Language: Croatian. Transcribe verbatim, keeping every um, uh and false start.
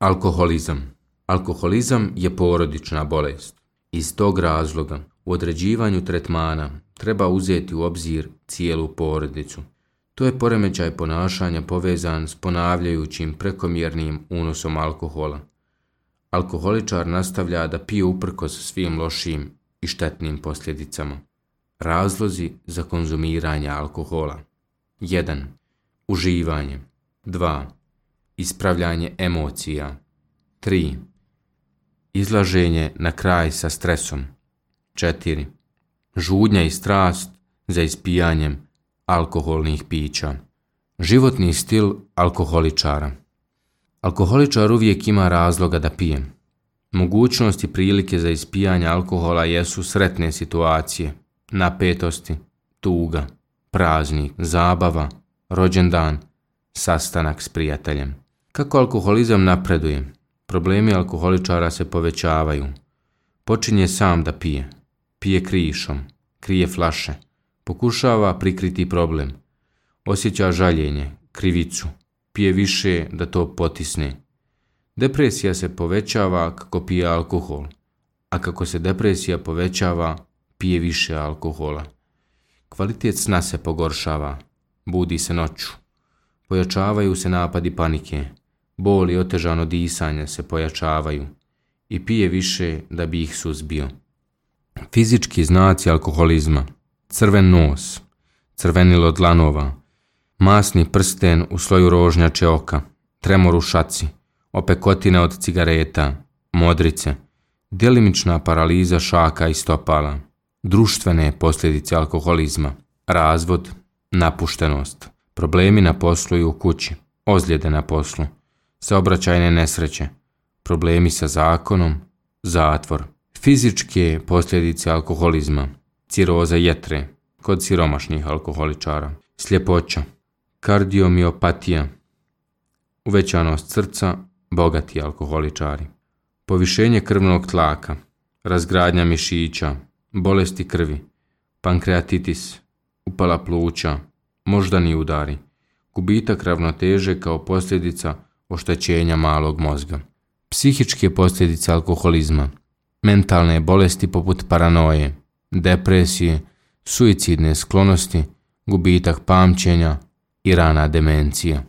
Alkoholizam. Alkoholizam je porodična bolest. Iz tog razloga u određivanju tretmana treba uzeti u obzir cijelu porodicu. To je poremećaj ponašanja povezan s ponavljajućim prekomjernim unosom alkohola. Alkoholičar nastavlja da pije uprkos svim lošim i štetnim posljedicama. Razlozi za konzumiranje alkohola. jedan. Uživanje. dva. Ispravljanje emocija. tri. Izlaženje na kraj sa stresom. četiri. Žudnja i strast za ispijanjem alkoholnih pića. Životni stil alkoholičara. Alkoholičar uvijek ima razloga da pije. Mogućnosti i prilike za ispijanje alkohola jesu sretne situacije, napetosti, tuga, praznik, zabava, rođendan, sastanak s prijateljem. Kako alkoholizam napreduje, problemi alkoholičara se povećavaju. Počinje sam da pije. Pije krišom, krije flaše, pokušava prikriti problem. Osjeća žaljenje, krivicu, pije više da to potisne. Depresija se povećava kako pije alkohol, a kako se depresija povećava, pije više alkohola. Kvalitet sna se pogoršava, budi se noću. Pojačavaju se napadi panike, bol i otežano disanje se pojačavaju i pije više da bi ih suzbio. Fizički znaci alkoholizma: crven nos, crvenilo dlanova, masni prsten u sloju rožnjače oka, tremor u šaci, opekotine od cigareta, modrice, djelimična paraliza šaka i stopala. Društvene posljedice alkoholizma: razvod, napuštenost, problemi na poslu i u kući, ozljede na poslu, saobraćajne nesreće, problemi sa zakonom, zatvor. Fizičke posljedice alkoholizma: ciroza jetre kod siromašnih alkoholičara, sljepoća, kardiomiopatija, uvećanost srca, bogati alkoholičari, povišenje krvnog tlaka, razgradnja mišića, bolesti krvi, pankreatitis, upala pluća, moždani udari, gubitak ravnoteže kao posljedica oštećenja malog mozga. Psihičke posljedice alkoholizma: mentalne bolesti poput paranoje, depresije, suicidne sklonosti, gubitak pamćenja i rana demencija.